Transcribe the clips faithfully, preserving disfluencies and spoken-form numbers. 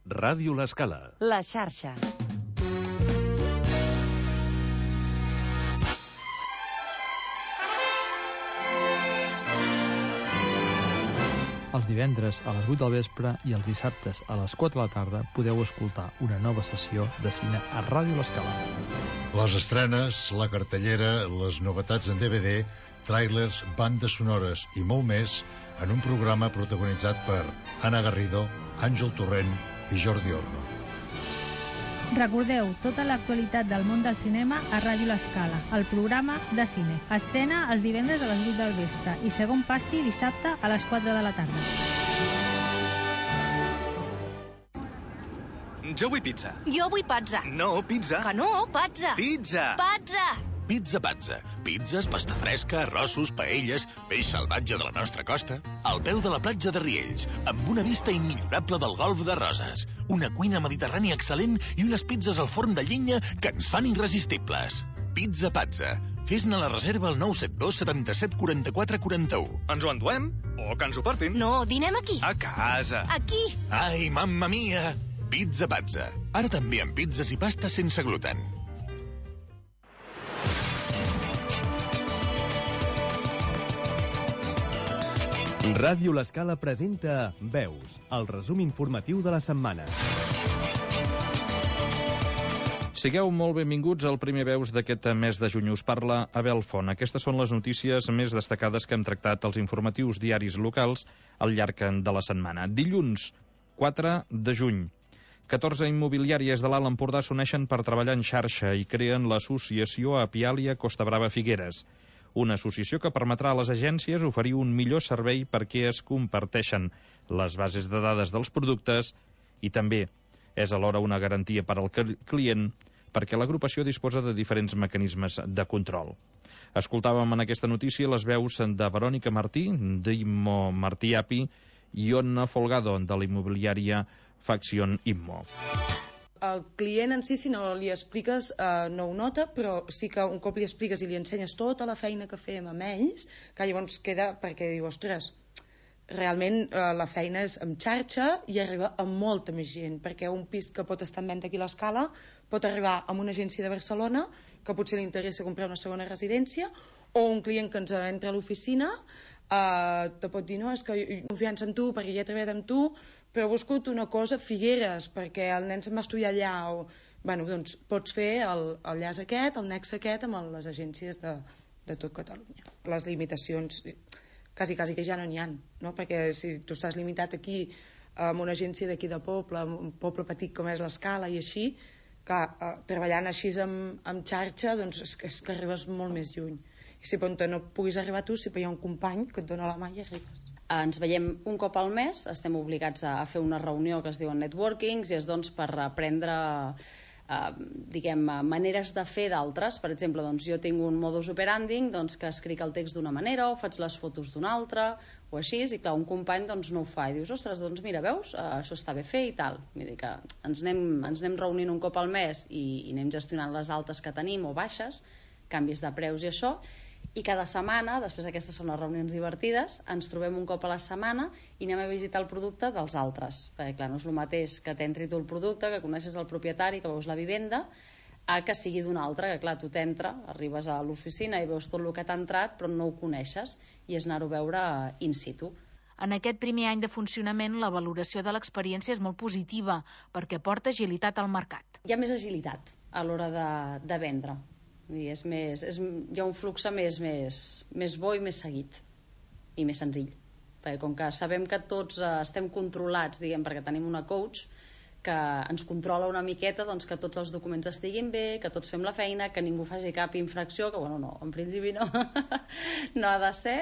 Ràdio L'Escala. La xarxa. Els divendres a les vuit del vespre i els dissabtes a les quatre de la tarda podeu escoltar una nova sessió de cine a Ràdio L'Escala. Les estrenes, la cartellera, les novetats en D V D, tràilers, bandes sonores i molt més en un programa protagonitzat per Anna Garrido, Àngel Torrent i Jordi Orno. Recordeu tota l'actualitat del món del cinema a Ràdio L'Escala, el programa de cine. Estrena els divendres a les vuit del vespre i segon passi dissabte a les quatre de la tarda. Jo vull pizza. Jo vull pazza. No, pizza. Que no, pazza. Pizza. Pazza. Pizza Pazza. Pizzas, pasta fresca, arrossos, paelles, peix salvatge de la nostra costa. Al peu de la platja de Riells, amb una vista immillorable del golf de Roses. Una cuina mediterrània excel·lent i unes pizzas al forn de llenya que ens fan irresistibles. Pizza Pazza. Fes-ne la reserva al nou set dos setanta-set quaranta-quatre quaranta-u. Ens ho enduem? O que ens ho portin? No, dinem aquí. A casa. Aquí. Ai, mamma mia! Pizza Pazza. Ara també amb pizzas i pastes sense gluten. Ràdio L'Escala presenta Veus, el resum informatiu de la setmana. Sigueu molt benvinguts al primer Veus d'aquest mes de juny. Us parla Abel Font. Aquestes són les notícies més destacades que hem tractat als informatius diaris locals al llarg de la setmana. Dilluns, quatre de juny. catorze immobiliàries de l'Alt Empordà s'uneixen per treballar en xarxa i creen l'associació Apiàlia Costa Brava Figueres. Una associació que permetrà a les agències oferir un millor servei perquè es comparteixen les bases de dades dels productes i també és alhora una garantia per al client perquè l'agrupació disposa de diferents mecanismes de control. Escoltàvem en aquesta notícia les veus de Verònica Martí, d'Immo Martí Api i Ona Folgado, de la immobiliària Facción Immo. El client en si, si no li expliques, eh, no ho nota, però sí que un cop li expliques i li ensenyes tota la feina que fem amb ells, que llavors queda perquè diu, ostres, realment eh, la feina és en xarxa i arriba a molta més gent, perquè un pis que pot estar en venda aquí a l'Escala pot arribar a una agència de Barcelona que potser li interessa comprar una segona residència, o un client que ens entra a l'oficina eh, te pot dir, no, és que jo confiança en tu perquè ja he treballat amb tu, però he buscat una cosa a Figueres perquè el nen se'n va estudiar allà, o bueno, doncs pots fer el, el llaç aquest, el nexe aquest amb les agències de, de tot Catalunya. Les limitacions quasi, quasi que ja no n'hi ha, no? Perquè si tu estàs limitat aquí amb una agència d'aquí de poble, un poble petit com és l'Escala i així, que eh, treballant així amb, amb xarxa, doncs és que, és que arribes molt més lluny. I si pot no puguis arribar tu, si hi ha un company que et dona la mà i arribes. Ens veiem un cop al mes, estem obligats a fer una reunió que es diuen networkings i és doncs per aprendre eh, diguem, maneres de fer d'altres. Per exemple, doncs, jo tinc un modus operandi doncs, que escric el text d'una manera o faig les fotos d'una altra o així, i clar, un company doncs, no ho fa i dius, ostres, doncs mira, veus, eh, això està bé fer i tal. Vull dir que ens anem, ens anem reunint un cop al mes i, i anem gestionant les altes que tenim o baixes, canvis de preus i això. I cada setmana, després aquestes són les reunions divertides, ens trobem un cop a la setmana i anem a visitar el producte dels altres. Perquè clar, no és el mateix que t'entri tu el producte, que coneixes el propietari, que veus la vivenda, a que sigui d'un altre, que clar, tu t'entra, arribes a l'oficina i veus tot el que t'ha entrat, però no ho coneixes, i és anar-ho a veure in situ. En aquest primer any de funcionament, la valoració de l'experiència és molt positiva, perquè porta agilitat al mercat. Hi ha més agilitat a l'hora de, de vendre. I és més, és, hi ha un flux més, més, més bo i més seguit i més senzill, perquè com que sabem que tots eh, estem controlats, diguem, perquè tenim una coach que ens controla una miqueta, doncs que tots els documents estiguin bé, que tots fem la feina, que ningú faci cap infracció, que bueno, no, en principi no no ha de ser,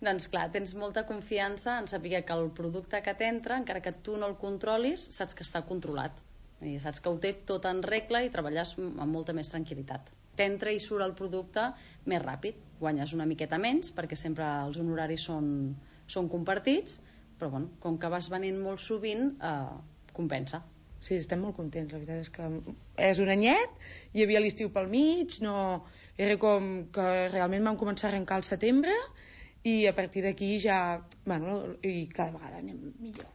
doncs clar, tens molta confiança en saber que el producte que t'entra, encara que tu no el controlis, saps que està controlat i saps que ho té tot en regla i treballes amb molta més tranquil·litat. T'entra i surt el producte més ràpid, guanyes una miqueta menys perquè sempre els honoraris són, són compartits, però bueno, com que vas venint molt sovint eh, compensa. Sí, estem molt contents, la veritat és que és un anyet, hi havia l'estiu pel mig, no, era com que realment vam començar a arrencar al setembre i a partir d'aquí ja, bueno, i cada vegada anem millor.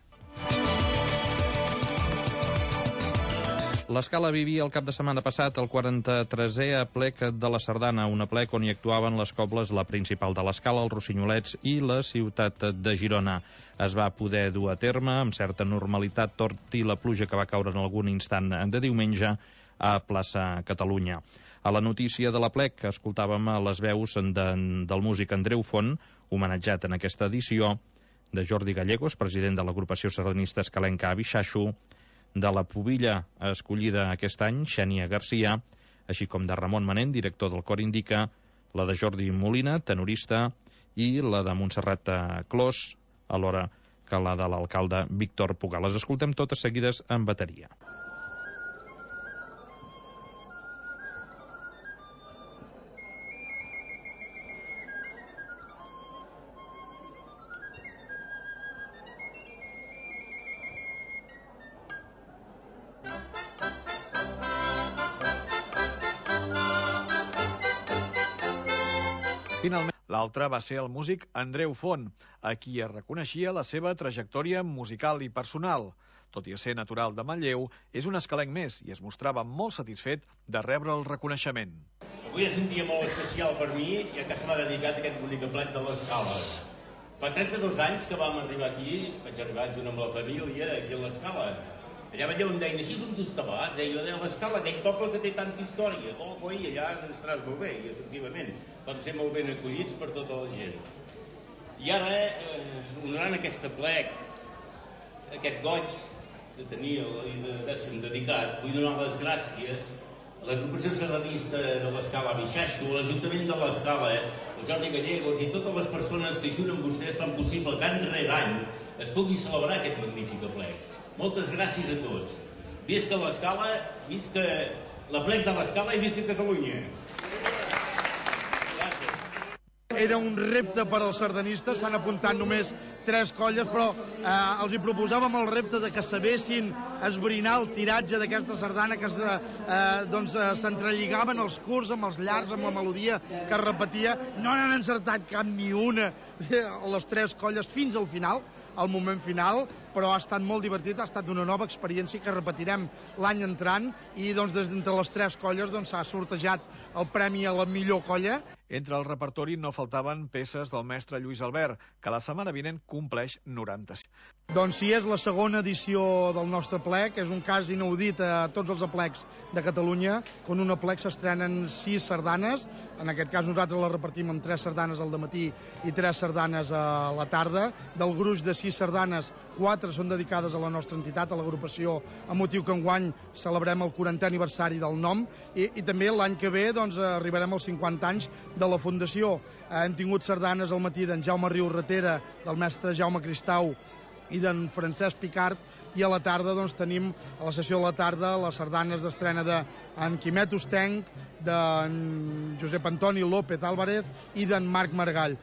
L'Escala vivia el cap de setmana passat el quaranta-tresè aplec de la Sardana, un aplec on hi actuaven les cobles La Principal de l'Escala, els Rossinolets i la ciutat de Girona. Es va poder dur a terme amb certa normalitat, tot i la pluja que va caure en algun instant de diumenge a plaça Catalunya. A la notícia de l'aplec escoltàvem les veus de, del músic Andreu Font, homenatjat en aquesta edició, de Jordi Gallegos, president de l'agrupació sardanista escalenca Abixaixo, de la pubilla escollida aquest any, Xènia Garcia, així com de Ramon Manent, director del Cor Indica, la de Jordi Molina, tenorista, i la de Montserrat Clos, alhora que la de l'alcalde Víctor Puga. Les escoltem totes seguides en bateria. Finalment, l'altre va ser el músic Andreu Font, a qui es reconeixia la seva trajectòria musical i personal. Tot i ser natural de Manlleu, és un escalenc més i es mostrava molt satisfet de rebre el reconeixement. Avui és un dia molt especial per mi, ja que se m'ha dedicat aquest bonic aplec de l'Escala. Fa trenta-dos anys que vam arribar aquí, vaig arribar junt amb la família aquí a l'Escala. Allà veieu, em deien, així és on tu estaves, deia, a l'Escala, aquell poble que té tanta història. Oh, coi, allà estaràs molt bé, i efectivament, vam ser molt ben acollits per tota la gent. I ara, eh, honorant aquest aplec, aquest goig de tenir i de deixar-me dedicat, vull donar les gràcies a l'agrupació sardanista de l'Escala Abixaixo, a l'Ajuntament de l'Escala, el Jordi Gallegos i totes les persones que junt amb vostès fan possible que any rere any es pugui celebrar aquest magnífic aplec. Moltes gràcies a tots. Visca l'Escala, visca l'aplec de l'Escala i visca Catalunya. Era un repte per als sardanistes, s'han apuntat només tres colles, però eh, els hi proposàvem el repte de que sabessin esbrinar el tiratge d'aquesta sardana, que eh, doncs, eh, s'entrelligaven els curts amb els llargs, amb la melodia que es repetia. No n'han encertat cap ni una, les tres colles, fins al final, al moment final, però ha estat molt divertit, ha estat una nova experiència que repetirem l'any entrant, i doncs, des d'entre les tres colles doncs, s'ha sortejat el premi a la millor colla. Entre el repertori no faltaven peces del mestre Lluís Albert, que la setmana vinent compleix noranta-cinc. Doncs sí, és la segona edició del nostre aplec, és un cas inaudit a tots els aplecs de Catalunya, quan un aplec s'estrenen sis sardanes, en aquest cas nosaltres la repartim amb tres sardanes al dematí i tres sardanes a la tarda. Del gruix de sis sardanes, quatre són dedicades a la nostra entitat, a l'agrupació, amb motiu que enguany celebrem el quarantè aniversari del nom, i, i també l'any que ve doncs, arribarem als cinquanta anys de la Fundació. Hem tingut sardanes al matí d'en Jaume Riu Ratera, del mestre Jaume Cristau i d'en Francesc Picart, i a la tarda doncs, tenim, a la sessió de la tarda, les sardanes d'estrena d'en Quimet Ostenc, d'en Josep Antoni López Álvarez i d'en Marc Margall.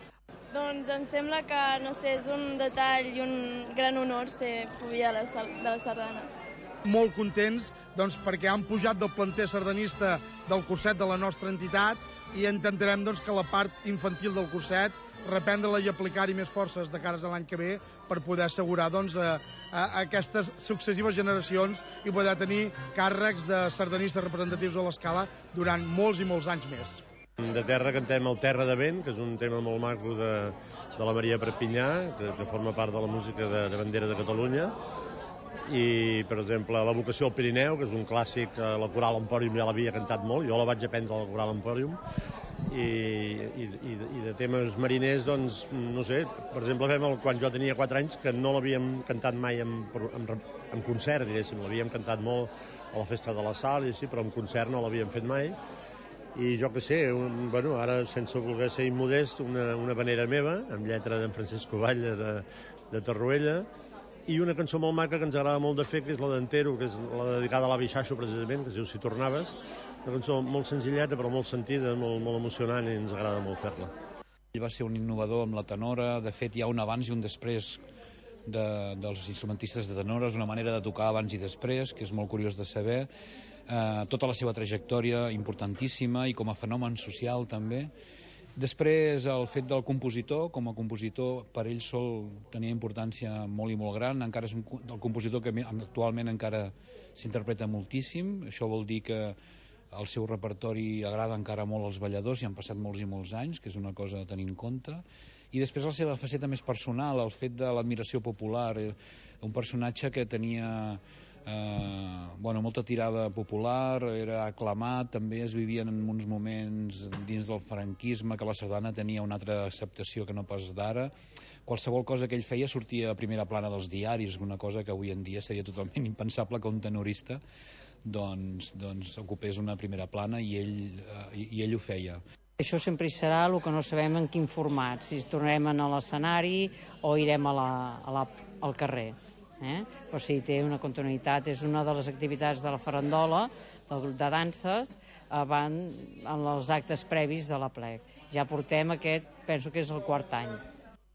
Doncs em sembla que, no sé, és un detall i un gran honor ser pubilla de la sardana. Molt contents doncs, perquè han pujat del planter sardanista del curset de la nostra entitat, i intentarem doncs, que la part infantil del curset reprendre-la i aplicar-hi més forces de cares a l'any que ve per poder assegurar doncs, a, a aquestes successives generacions i poder tenir càrrecs de sardanistes representatius a l'Escala durant molts i molts anys més. De terra cantem el Terra de Vent, que és un tema molt maco de, de la Maria Perpinyà, que, que forma part de la música de, de bandera de Catalunya. I, per exemple, La vocació al Pirineu, que és un clàssic, la Coral Empòrium ja l'havia cantat molt, jo la vaig aprendre a la Coral Empòrium, i, i, i de temes mariners, doncs, no sé, per exemple, fem el, quan jo tenia quatre anys, que no l'havíem cantat mai en, en, en concert, diguéssim, l'havíem cantat molt a la Festa de la Sal, i així, però en concert no l'havíem fet mai, i jo que sé, un, bueno, ara, sense voler ser immodest, una, una vanera meva, amb lletra d'en Francesc Covalla de, de Torroella, i una cançó molt maca que ens agrada molt de fer, que és la d'Entero, que és la dedicada a l'Abixaixo, precisament, que es diu Si tornaves. Una cançó molt senzilleta, però molt sentida, molt, molt emocionant, i ens agrada molt fer-la. Ell va ser un innovador amb la tenora. De fet, hi ha un abans i un després de, dels instrumentistes de tenores, una manera de tocar abans i després, que és molt curiós de saber. Eh, tota la seva trajectòria importantíssima, i com a fenomen social també. Després, el fet del compositor, com a compositor, per ell sol tenia importància molt i molt gran, encara és un, el compositor que actualment encara s'interpreta moltíssim, això vol dir que el seu repertori agrada encara molt als balladors i han passat molts i molts anys, que és una cosa a tenir en compte. I després la seva faceta més personal, el fet de l'admiració popular, un personatge que tenia eh, bueno, molta tirada popular, era aclamat, també es vivien en uns moments dins del franquisme que la sardana tenia una altra acceptació que no pas d'ara. Qualsevol cosa que ell feia sortia a primera plana dels diaris, una cosa que avui en dia seria totalment impensable que un tenorista doncs, doncs ocupés una primera plana i ell, eh, i ell ho feia. Això sempre hi serà, el que no sabem en quin format, si tornarem a l'escenari o irem a la, a la, al carrer. Eh? Però sí, té una continuïtat, és una de les activitats de la farandola, del grup de danses, van en els actes previs de l'aplec. Ja portem aquest, penso que és el quart any.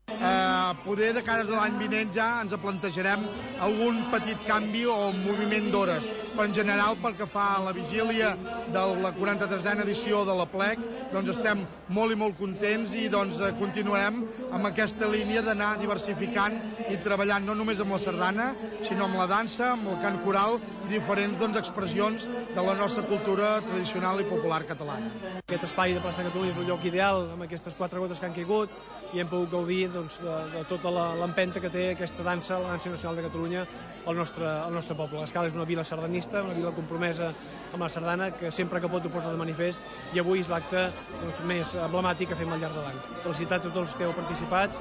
Eh, poder de cares a l'any vinent ja ens plantejarem algun petit canvi o moviment d'hores, però en general pel que fa a la vigília de la quaranta-tresena edició de l'Aplec, doncs estem molt i molt contents i doncs continuarem amb aquesta línia d'anar diversificant i treballant no només amb la sardana, sinó amb la dansa, amb el cant coral i diferents doncs, expressions de la nostra cultura tradicional i popular catalana. Aquest espai de plaça Catalunya és un lloc ideal amb aquestes quatre gotes que han caigut i hem pogut gaudir doncs, de, de tota l'empenta que té aquesta dansa, la dansa nacional de Catalunya, al nostre, al nostre poble. L'Escala és una vila sardanista, una vila compromesa amb la sardana, que sempre que pot ho posa de manifest, i avui és l'acte doncs, més emblemàtic que fem al llarg de l'any. Felicitats a tots els que heu participat,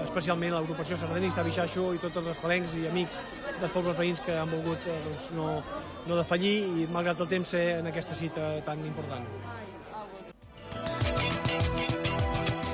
especialment a l'agrupació sardanista, Bixaixo, i tots els escalencs i amics dels pobles veïns que han volgut doncs, no, no defallir i, malgrat el temps, ser en aquesta cita tan important.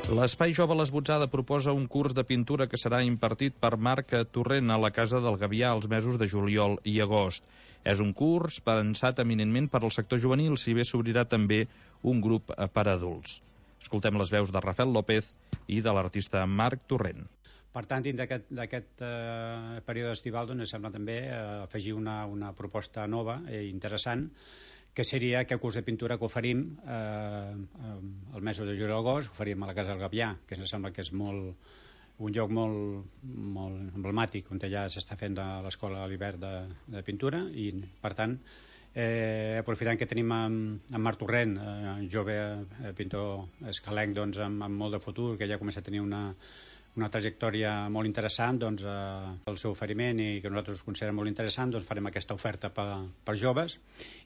L'Espai Jove L'Esbotzada proposa un curs de pintura que serà impartit per Marc Torrent a la Casa del Gavià els mesos de juliol i agost. És un curs pensat eminentment per al sector juvenil, si bé s'obrirà també un grup per a adults. Escoltem les veus de Rafael López i de l'artista Marc Torrent. Per tant, dins d'aquest eh, període estival doncs, sembla també eh, afegir una, una proposta nova i interessant, que seria aquest curs de pintura que oferim eh, el mes de juliol i agost, oferim a la Casa del Gavià, que ens sembla que és molt, un lloc molt, molt emblemàtic, on ja s'està fent de l'escola a l'hivern de, de pintura, i per tant, eh, aprofitant que tenim amb, amb Marc Torrent, eh, jove eh, pintor escalenc doncs, amb, amb molt de futur, que ja comença a tenir una una trajectòria molt interessant, doncs, eh, el seu oferiment i que nosaltres considerem molt interessant, doncs farem aquesta oferta per, per joves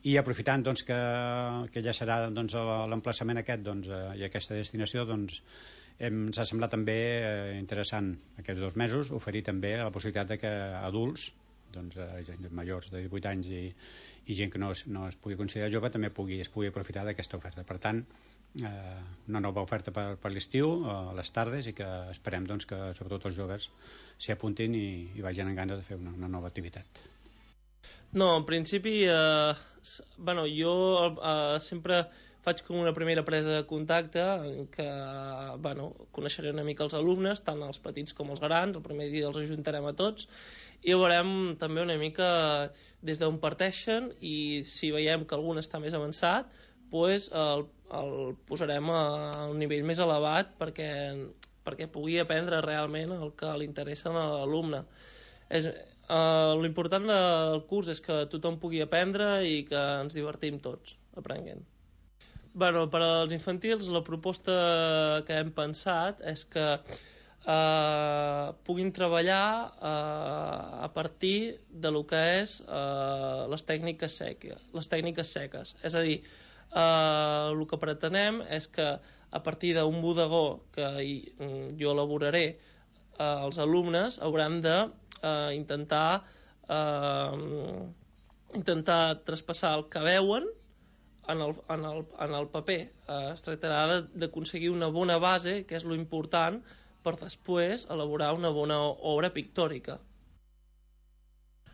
i aprofitant doncs, que, que ja serà doncs, l'emplaçament aquest doncs, eh, i aquesta destinació, doncs, ens ha semblat també eh, interessant aquests dos mesos oferir també la possibilitat de que adults, doncs, eh, majors de divuit anys i, i gent que no es, no es pugui considerar jove també pugui, es pugui aprofitar d'aquesta oferta. Per tant, Eh, una nova oferta per, per l'estiu, a les tardes, i que esperem doncs, que sobretot els joves s'hi apuntin i, i vagin amb ganes de fer una, una nova activitat. No, en principi eh, bueno, jo eh, sempre faig com una primera presa de contacte en què bueno, coneixeré una mica els alumnes, tant els petits com els grans, el primer dia els ajuntarem a tots i veurem també una mica des d'on parteixen, i si veiem que algun està més avançat pues, el, el posarem a un nivell més elevat perquè, perquè pugui aprendre realment el que li interessa a l'alumne. És, eh, l'important del curs és que tothom pugui aprendre i que ens divertim tots aprenent. Bueno, per als infantils la proposta que hem pensat és que eh, puguin treballar eh, a partir de lo que és eh, les tècniques seques, les tècniques seques. És a dir, Uh, el que pretenem és que a partir d'un bodegó que jo elaboraré, uh, els alumnes hauran de uh, intentar uh, intentar traspassar el que veuen en el, en el, en el paper. Uh, es tractarà d'aconseguir una bona base, que és lo important, per després elaborar una bona obra pictòrica.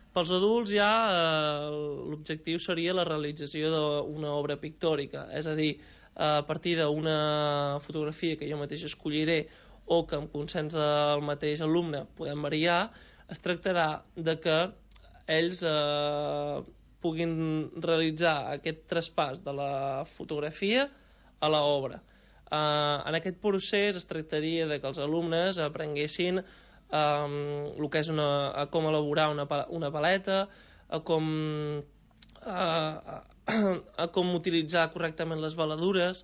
Pels adults ja eh, l'objectiu seria la realització d'una obra pictòrica, és a dir, a partir d'una fotografia que jo mateix escolliré o que amb consens del mateix alumne podem variar, es tractarà de que ells eh, puguin realitzar aquest traspàs de la fotografia a l'obra. Uh, en aquest procés es tractaria de que els alumnes aprenguessin um, el que és una, a com elaborar una, una paleta, a com, uh, a com utilitzar correctament les veladures,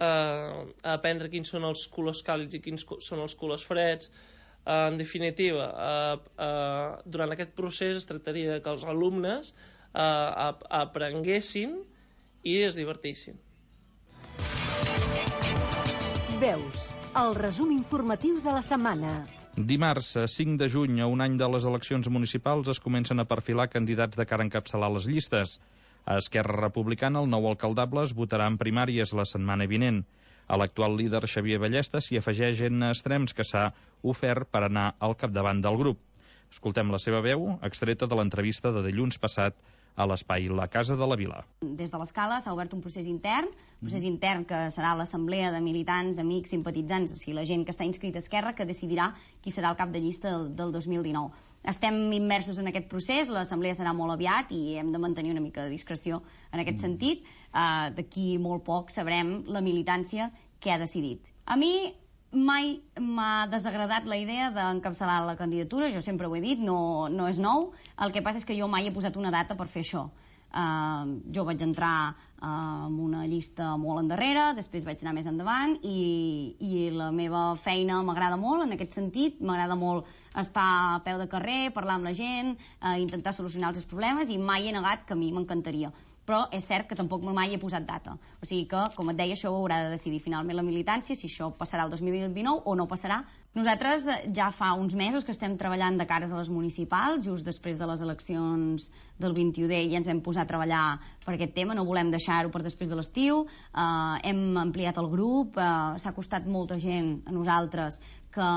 uh, a aprendre quins són els colors càlids i quins són els colors freds. Uh, en definitiva, uh, uh, durant aquest procés es tractaria de que els alumnes uh, aprenguessin i es divertissin. Veus, el resum informatiu de la setmana. Dimarts, cinc de juny, a un any de les eleccions municipals, es comencen a perfilar candidats de cara a encapçalar les llistes. A Esquerra Republicana, el nou alcaldable es votarà en primàries la setmana vinent. A l'actual líder Xavier Ballesta s'hi afegeix en Estrems, que s'ha ofert per anar al capdavant del grup. Escoltem la seva veu, extreta de l'entrevista de dilluns passat a l'espai La Casa de la Vila. Des de l'Escala s'ha obert un procés intern, un procés intern que serà l'assemblea de militants, amics, simpatitzants, o sigui, la gent que està inscrita a Esquerra, que decidirà qui serà el cap de llista del, del dos mil dinou. Estem immersos en aquest procés, l'assemblea serà molt aviat i hem de mantenir una mica de discreció en aquest sentit. Uh, D'aquí molt poc sabrem la militància que ha decidit. A mi mai m'ha desagradat la idea d'encapçalar la candidatura, jo sempre ho he dit, no, no és nou. El que passa és que jo mai he posat una data per fer això. Uh, jo vaig entrar uh, amb una llista molt endarrere, després vaig anar més endavant i, i la meva feina m'agrada molt en aquest sentit, m'agrada molt estar a peu de carrer, parlar amb la gent, uh, intentar solucionar els seus problemes i mai he negat que a mi m'encantaria. Però és cert que tampoc mai he posat data. O sigui que, com et deia, això ho haurà de decidir finalment la militància, si això passarà el dos mil dinou o no passarà. Nosaltres ja fa uns mesos que estem treballant de cares a les municipals, just després de les eleccions del vint-i-u D ja ens vam posar a treballar per aquest tema, no volem deixar-ho per després de l'estiu, uh, hem ampliat el grup, uh, s'ha costat molta gent a nosaltres que...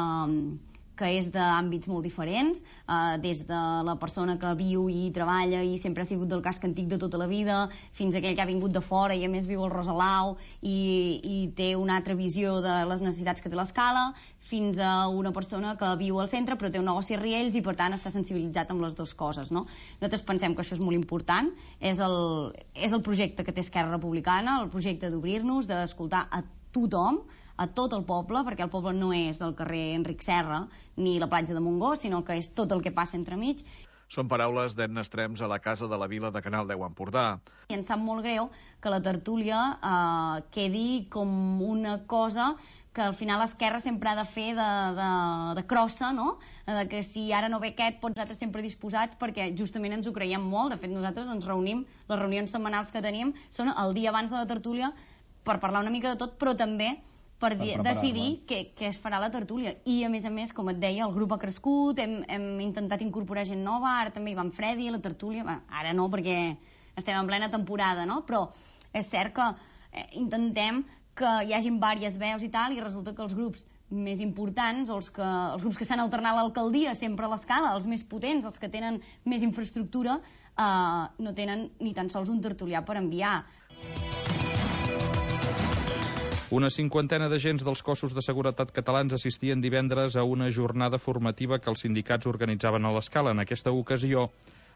que és d'àmbits molt diferents, eh, des de la persona que viu i treballa i sempre ha sigut del casc antic de tota la vida, fins a aquell que ha vingut de fora i a més viu al Rosalau i, i té una altra visió de les necessitats que té l'Escala, fins a una persona que viu al centre però té un negoci a Riells i per tant està sensibilitzat amb les dues coses, no? Nosaltres pensem que això és molt important, és el, és el projecte que té Esquerra Republicana, el projecte d'obrir-nos, d'escoltar a tothom, a tot el poble, perquè el poble no és el carrer Enric Serra ni la platja de Montgó, sinó que és tot el que passa entremig. Són paraules d'Edna Estrems a la Casa de la Vila de Canal deu Empordà. I em sap molt greu que la tertúlia eh, quedi com una cosa que al final l'Esquerra sempre ha de fer de, de, de crossa, no? De que si ara no ve aquest, pots nosaltres sempre disposats, perquè justament ens ho creiem molt. De fet, nosaltres ens reunim, les reunions setmanals que tenim són el dia abans de la tertúlia per parlar una mica de tot, però també per, per decidir què, què es farà la tertúlia. I, a més a més, com et deia, el grup ha crescut, hem, hem intentat incorporar gent nova, ara també hi va en Freddy a la tertúlia, bueno, ara no, perquè estem en plena temporada, no? Però és cert que eh, intentem que hi hagin diverses veus i tal, i resulta que els grups més importants, o els, que, els grups que s'han alternat a l'alcaldia, sempre a l'Escala, els més potents, els que tenen més infraestructura, eh, no tenen ni tan sols un tertulià per enviar. Una cinquantena d'agents dels cossos de seguretat catalans assistien divendres a una jornada formativa que els sindicats organitzaven a l'Escala. En aquesta ocasió,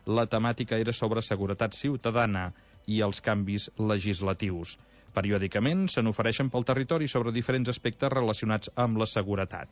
la temàtica era sobre seguretat ciutadana i els canvis legislatius. Periòdicament se n'ofereixen pel territori sobre diferents aspectes relacionats amb la seguretat.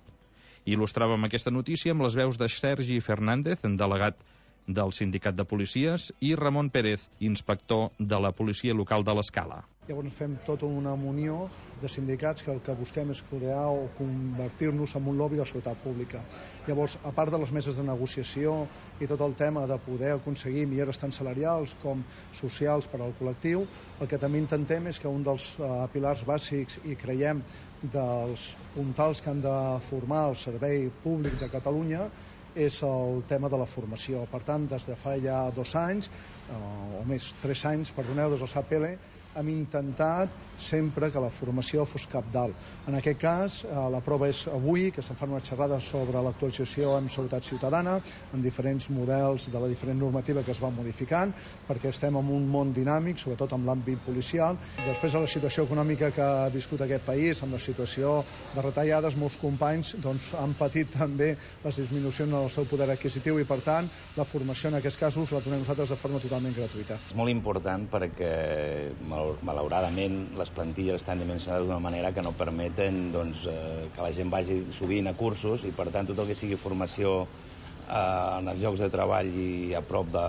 Il·lustràvem aquesta notícia amb les veus de Sergi Fernández, delegat del Sindicat de Policies, i Ramon Pérez, inspector de la Policia Local de l'Escala. Llavors fem tota una munió de sindicats que el que busquem és crear o convertir-nos en un lobby de la seguretat pública. Llavors, a part de les meses de negociació i tot el tema de poder aconseguir millores tant salarials com socials per al col·lectiu, el que també intentem és que un dels uh, pilars bàsics i creiem dels puntals que han de formar el servei públic de Catalunya és el tema de la formació. Per tant, des de fa ja dos anys, eh, o més, tres anys, perdoneu, des del S A P L, hem intentat sempre que la formació fos cabdal. En aquest cas, eh, la prova és avui, que se'n fan una xerrada sobre l'actualització en seguretat ciutadana, en diferents models de la diferent normativa que es va modificant, perquè estem en un món dinàmic, sobretot en l'àmbit policial. Després de la situació econòmica que ha viscut aquest país, amb la situació de retallades, molts companys doncs, han patit també les disminucions en el seu poder adquisitiu i, per tant, la formació en aquests casos la donem nosaltres de forma totalment gratuïta. És molt important perquè, malauradament, malauradament les plantilles estan dimensionades d'una manera que no permeten doncs, eh, que la gent vagi sovint a cursos i per tant tot el que sigui formació eh, en els llocs de treball i a prop de,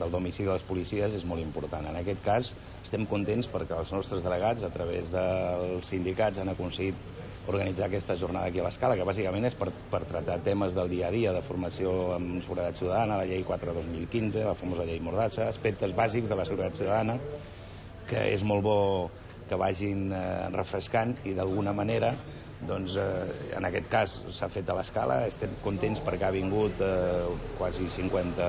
del domicili de les policies és molt important. En aquest cas estem contents perquè els nostres delegats a través dels sindicats han aconseguit organitzar aquesta jornada aquí a l'Escala, que bàsicament és per, per tractar temes del dia a dia de formació en seguretat ciutadana, la llei quatre dos mil quinze, la famosa llei Mordassa, aspectes bàsics de la seguretat ciutadana, que és molt bo que vagin eh, refrescant i d'alguna manera, doncs, eh, en aquest cas s'ha fet a l'Escala, estem contents perquè ha vingut eh, quasi cinquanta,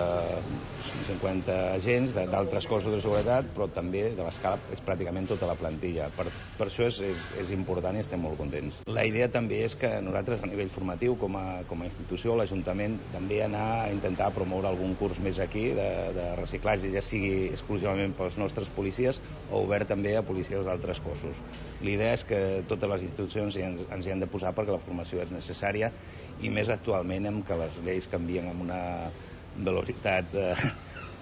cinquanta agents d'altres cossos de seguretat, però també de l'Escala és pràcticament tota la plantilla. Per, per això és, és, és important i estem molt contents. La idea també és que nosaltres a nivell formatiu, com a, com a institució, l'Ajuntament també anar a intentar promoure algun curs més aquí de, de reciclatge, ja sigui exclusivament pels nostres policies o obert també a policies d'altres cossos. L'idea és que totes les institucions ens, ens hi han de posar perquè la formació és necessària i més actualment en què les lleis canvien amb una velocitat eh,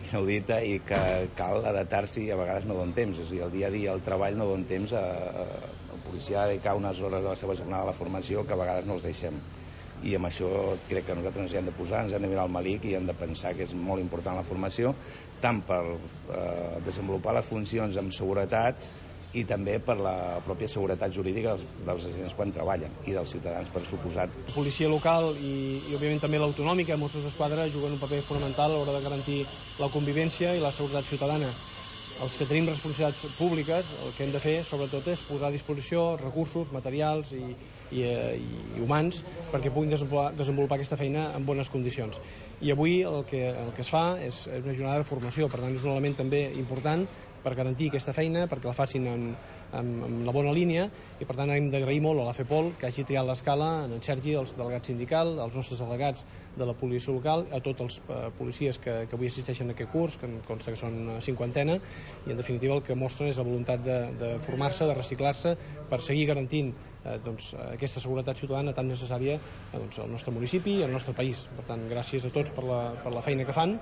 inaudita i que cal adaptar-s'hi i a vegades no donen temps. És a dir, el dia a dia, el treball no donen temps a, a, al policia a dedicar unes hores de la seva jornada a la formació que a vegades no els deixem. I amb això crec que nosaltres ens hi hem de posar, ens hem de mirar al malic i hem de pensar que és molt important la formació, tant per eh, desenvolupar les funcions amb seguretat i també per la pròpia seguretat jurídica dels, dels agents quan treballen i dels ciutadans, per suposat. La policia local i, i òbviament també l'autonòmica, Mossos d'Esquadra, juguen un paper fonamental a l'hora de garantir la convivència i la seguretat ciutadana. Els que tenim responsabilitats públiques, el que hem de fer, sobretot, és posar a disposició recursos, materials i, i, i humans perquè puguin desenvolupar, desenvolupar aquesta feina en bones condicions. I avui el que, el que es fa és, és una jornada de formació, per tant és un element també important per garantir aquesta feina, perquè la facin en, en, en la bona línia, i per tant hem d'agrair molt a la FEPOL que hagi triat l'Escala, en Sergi, els delegats sindicals, els nostres delegats de la policia local, a tots els eh, policies que, que avui assisteixen a aquest curs, que em consta que són cinquantena, i en definitiva el que mostren és la voluntat de, de formar-se, de reciclar-se, per seguir garantint eh, doncs, aquesta seguretat ciutadana tan necessària eh, doncs, al nostre municipi i al nostre país. Per tant, gràcies a tots per la, per la feina que fan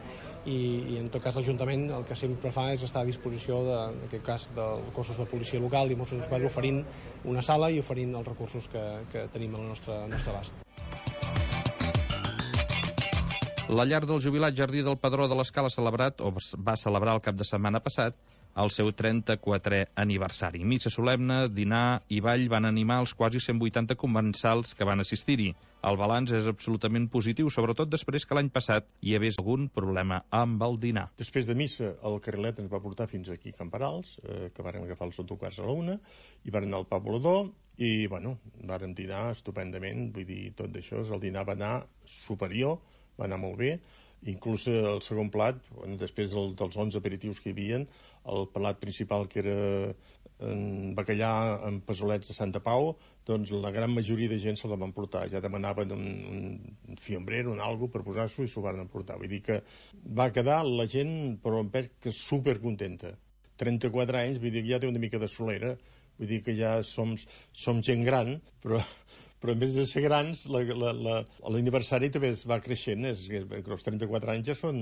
i, i en tot cas l'Ajuntament el que sempre fa és estar a disposició de, en aquest cas dels cossos de policia local i Mossos d'Esquadra oferint una sala i oferint els recursos que, que tenim al nostre, al nostre abast. La llar del jubilat Jardí del Padró de l'Escala ha celebrat, o va celebrar el cap de setmana passat, el seu trenta-quatrè aniversari. Missa solemne, dinar i ball van animar els quasi cent vuitanta comensals que van assistir-hi. El balanç és absolutament positiu, sobretot després que l'any passat hi hagués algun problema amb el dinar. Després de missa, el carrilet ens va portar fins aquí a Camperals, eh, que vàrem agafar els autocars a la una, i vàrem anar al Pau Volador, i, bueno, vàrem dinar estupendament, vull dir, tot d'això, el dinar va anar superior, va anar molt bé, inclús el segon plat, després del, dels onze aperitius que hi havia, el plat principal, que era en bacallà amb pesolets de Santa Pau, doncs la gran majoria de gent se'l van portar. Ja demanaven un, un fiambrero, un algo per posar-s'ho i s'ho van emportar. Vull dir que va quedar la gent, però em penso que supercontenta. trenta-quatre anys, vull dir que ja té una mica de solera, vull dir que ja som, som gent gran, però... però en vez de ser grans, l'aniversari també es va creixent, és que els trenta-quatre anys ja són...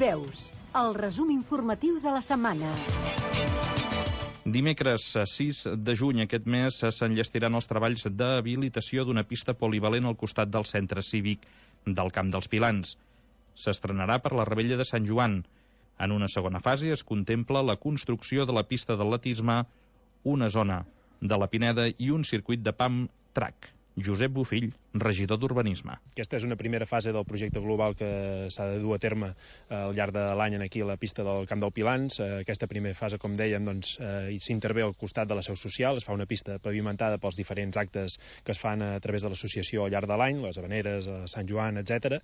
Veus, el resum informatiu de la setmana. Dimecres sis de juny aquest mes s'enllestiran els treballs d'habilitació d'una pista polivalent al costat del centre cívic del Camp dels Pilans. S'estrenarà per la Rebella de Sant Joan. En una segona fase es contempla la construcció de la pista d'atletisme, una zona de la Pineda i un circuit de pump track. Josep Bofill, regidor d'Urbanisme. Aquesta és una primera fase del projecte global que s'ha de dur a terme al llarg de l'any aquí a la pista del Camp del Pilans. Aquesta primera fase, com dèiem, doncs, eh, s'intervé al costat de la seu social, es fa una pista pavimentada pels diferents actes que es fan a través de l'associació al llarg de l'any, les Havaneres, Sant Joan, etcètera.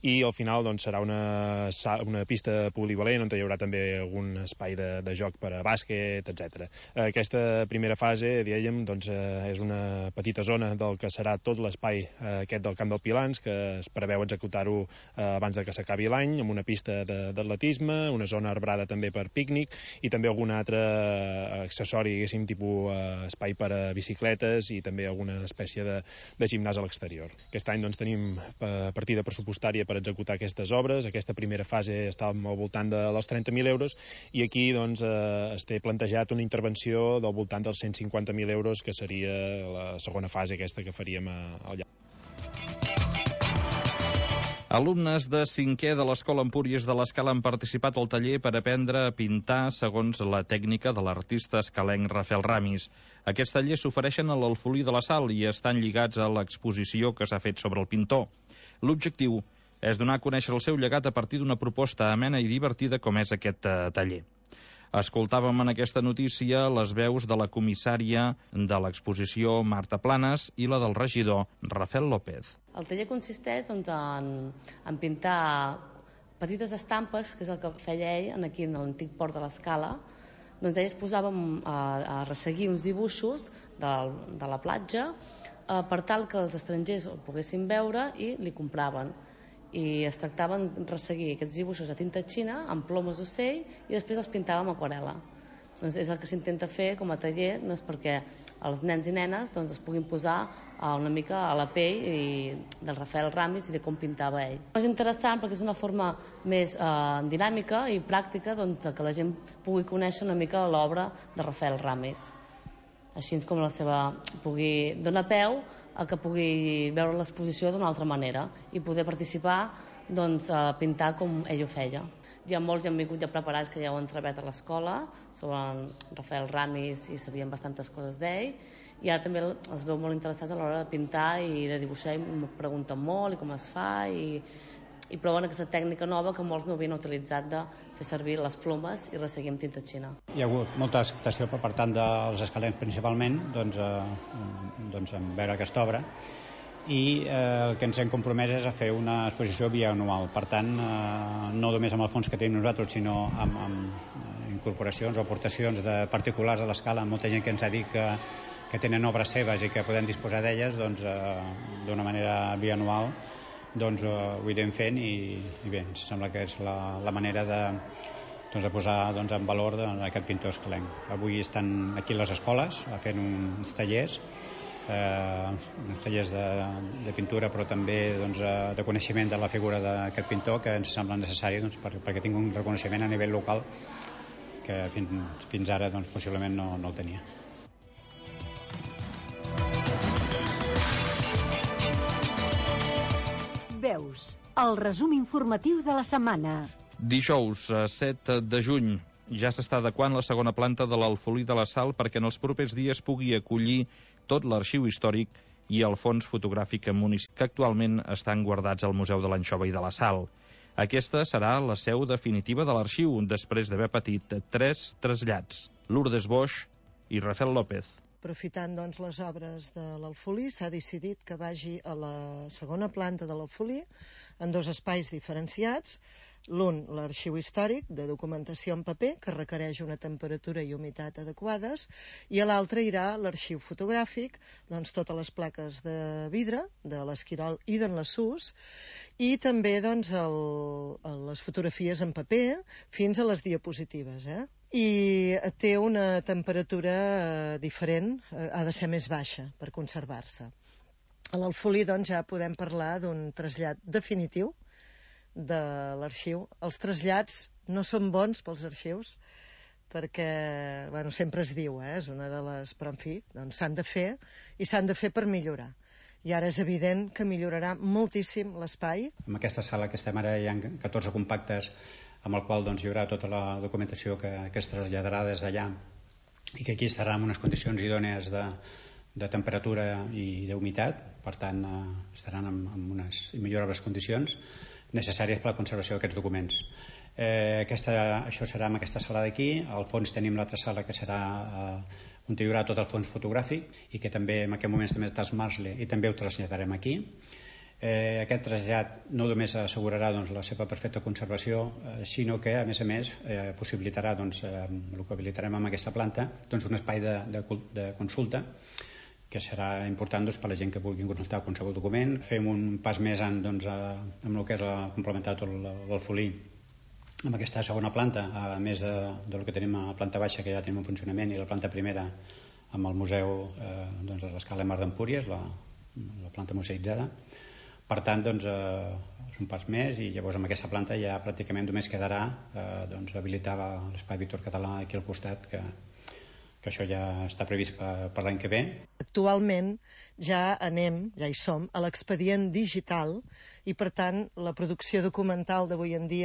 I al final doncs, serà una, una pista polivalent on hi haurà també algun espai de, de joc per a bàsquet, etcètera. Aquesta primera fase, dèiem, doncs, eh, és una petita zona del que serà tot l'espai aquest del Camp del Pilans, que es preveu executar-ho abans de que s'acabi l'any, amb una pista d'atletisme, una zona arbrada també per pícnic i també algun altre accessori, diguéssim, tipus espai per a bicicletes i també alguna espècie de, de gimnàs a l'exterior. Aquest any doncs, tenim partida pressupostària per executar aquestes obres. Aquesta primera fase està al voltant de, dels trenta mil euros i aquí doncs, eh, es té plantejat una intervenció del voltant dels cent cinquanta mil euros, que seria la segona fase aquesta que faríem al llac. Alumnes de cinquè de l'Escola Empúries de l'Escala han participat al taller per aprendre a pintar segons la tècnica de l'artista escalenc Rafael Ramis. Aquests tallers s'ofereixen a l'Alfolí de la Sal i estan lligats a l'exposició que s'ha fet sobre el pintor. L'objectiu és donar a conèixer el seu llegat a partir d'una proposta amena i divertida com és aquest taller. Escoltàvem en aquesta notícia les veus de la comissària de l'exposició Marta Planes i la del regidor Rafael López. El taller consisteix doncs, en, en pintar petites estampes, que és el que feia ell aquí en l'antic port de l'Escala. Doncs ell es posava a, a resseguir uns dibuixos de, de la platja eh, per tal que els estrangers ho poguessin veure i li compraven. I es tractava de resseguir aquests dibuixos a tinta xina amb plomes d'ocell i després els pintava amb aquarel·la. Doncs és el que s'intenta fer com a taller, doncs perquè els nens i nenes doncs, es puguin posar una mica a la pell i, del Rafael Ramis i de com pintava ell. És interessant perquè és una forma més eh, dinàmica i pràctica doncs, que la gent pugui conèixer una mica l'obra de Rafael Ramis. Així com la seva pugui donar peu a que pugui veure l'exposició d'una altra manera i poder participar doncs, a pintar com ell ho feia. Hi ha molts que han vingut ja preparats que ja ho han treballat a l'escola sobre Rafael Ramis i sabien bastantes coses d'ell i ara també els veu molt interessats a l'hora de pintar i de dibuixar i em pregunten molt i com es fa i, i proven aquesta tècnica nova que molts no havien utilitzat de fer servir les plomes i resseguir amb tinta xina. Hi ha hagut molta acceptació per part dels escalencs principalment doncs, eh, doncs en veure aquesta obra i eh, el que ens hem compromès és a fer una exposició bianual. Per tant, eh, no només amb el fons que tenim nosaltres, sinó amb, amb incorporacions o aportacions de particulars a l'Escala. Molta gent que ens ha dit que, que tenen obres seves i que podem disposar d'elles doncs, eh, d'una manera bianual doncs eh, ho irem fent i, i bé, ens sembla que és la, la manera de, doncs, de posar doncs, en valor de, aquest pintor escalenc. Avui estan aquí les escoles fent uns tallers eh, uns tallers de, de pintura però també doncs, de coneixement de la figura d'aquest pintor que ens sembla necessari doncs, per, perquè tingui un reconeixement a nivell local que fins, fins ara doncs, possiblement no, no el tenia. Veus, el resum informatiu de la setmana. Dijous, set de juny, ja s'està adequant la segona planta de l'Alfolí de la Sal perquè en els propers dies pugui acollir tot l'arxiu històric i el fons fotogràfic municipal que actualment estan guardats al Museu de l'Anxova i de la Sal. Aquesta serà la seu definitiva de l'arxiu, després d'haver patit tres trasllats. Lourdes Boix i Rafael López. Aprofitant doncs, les obres de l'Alfolí, s'ha decidit que vagi a la segona planta de l'Alfolí en dos espais diferenciats. L'un, l'arxiu històric, de documentació en paper, que requereix una temperatura i humitat adequades, i a l'altre irà l'arxiu fotogràfic, doncs totes les plaques de vidre, de l'Esquirol i d'en Lassús, i també doncs, el, les fotografies en paper fins a les diapositives, eh? I té una temperatura diferent, ha de ser més baixa per conservar-se. A l'Alfolí doncs, ja podem parlar d'un trasllat definitiu de l'arxiu. Els trasllats no són bons pels arxius perquè, bueno, sempre es diu, eh? És una de les... Però, en fi, doncs s'han de fer i s'han de fer per millorar. I ara és evident que millorarà moltíssim l'espai. En aquesta sala que estem ara hi ha catorze compactes amb el qual doncs, hi haurà tota la documentació que, que es traslladarà des d'allà i que aquí estarà en unes condicions idònies de, de temperatura i d'humitat, per tant eh, estaran en, en unes millorables condicions necessàries per a la conservació d'aquests documents. Eh, aquesta, això serà en aquesta sala d'aquí. Al fons tenim l'altra sala que serà eh, on hi haurà tot el fons fotogràfic i que també en aquest moment també està Marsle i també ho traslladarem aquí. Eh, aquest trasllat no només assegurarà doncs, la seva perfecta conservació, eh, sinó que, a més a més, eh, possibilitarà, doncs, eh, el que habilitarem amb aquesta planta, doncs, un espai de, de, de consulta que serà important doncs, per la gent que vulgui consultar qualsevol document. Fem un pas més en, doncs, a, amb el que és la, complementar tot l'Alfolí amb aquesta segona planta, a més de, del que tenim a la planta baixa, que ja tenim en funcionament, i la planta primera amb el museu eh, doncs, de l'Escala Mar d'Empúries, la, la planta museïtzada. Per tant, doncs, eh, és un pas més, i llavors amb aquesta planta ja pràcticament només quedarà eh, doncs, habilitar l'Espai Víctor Català aquí al costat, que que això ja està previst per, per l'any que ve. Actualment ja anem, ja hi som, a l'expedient digital, i per tant la producció documental d'avui en dia